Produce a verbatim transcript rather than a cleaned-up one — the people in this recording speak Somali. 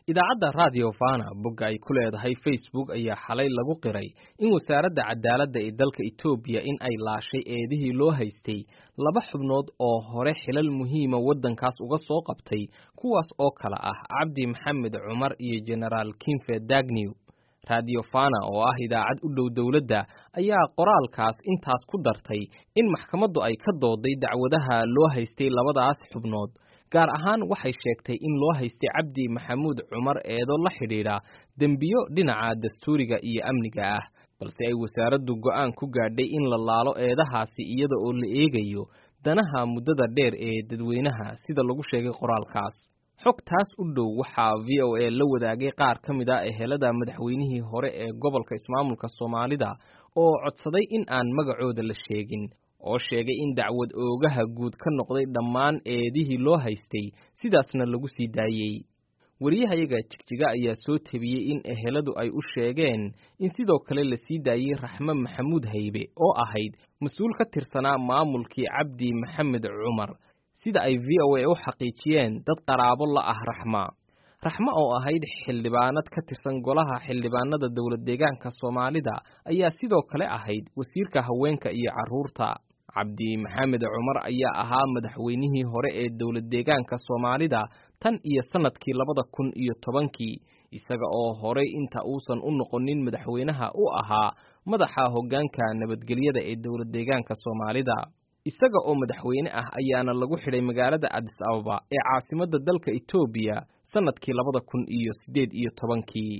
Idaacadda Radio Fana bogga ay ku leedahay Facebook ayaa xalay lagu qiray in wasaaradda cadaaladda ee dalka Itoobiya in ay laashay eedihii loo haystay laba xubnood oo hore xilal muhiima waddankaas uga soo qabtay, kuwaas oo kala ah Cabdi Maxamed Cumar iyo Jenaraal Kinfe Dagnew. Radio Fana oo ah idaacad u dhow dowladda ayaa qoraalkaas intaas ku dartay in maxkamaddu ay ka dooday dacwadaha loo haystay labadaas xubnood. Gaar ahaan waxay sheegtay in loo haystay Cabdi Maxamuud Cumar eedo la xidhiidha dembiyo dhinaca dastuuriga iyo amniga ah, balse ay wasaaraddu go'aan ku gaadhay in la laalo eedahaasi iyada oo la eegayo danaha muddada dheer ee dadweynaha, sida lagu sheegay qoraalkaas. Xogtaas u dhow waxaa V O A la wadaagay qaar ka mid ah ehelada madaxweynihii hore ee gobolka ismaamulka Soomaalida oo codsaday in aan magacooda la sheegin, oo sheegay in dacwad oogaha guud ka noqday dhammaan eedihii loo haystay, sidaasna lagu sii daayey. Wariyahayaga Jigjiga ayaa soo tebiyey in eheladu ay u sheegeen in sidoo kale la sii daayey Raxme Maxamuud Haybe oo ahayd mas-uul ka tirsanaa maamulkii Cabdi Maxamed Cumar, sida ay V O A u xaqiijiyeen dad qaraabo la ah Raxma. Raxma oo ahayd xildhibaanad ka tirsan golaha xildhibaanada dowlad deegaanka Soomaalida ayaa sidoo kale ahayd wasiirka haweenka iyo carruurta. Cabdi Maxamed Cumar ayaa ahaa madaxweynihii hore ee dowlad deegaanka Soomaalida tan iyo sanadkii labada kun iyo tobankii, isaga oo horey inta uusan u noqonin madaxweynaha u ahaa madaxa hoggaanka nabadgelyada ee dowlad deegaanka Soomaalida. Isaga oo madaxweyne ah ayaana lagu xidhay magaalada Addis Ababa ee caasimadda dalka Itoobiya sanadkii labada kun iyo siddeed iyo tobankii.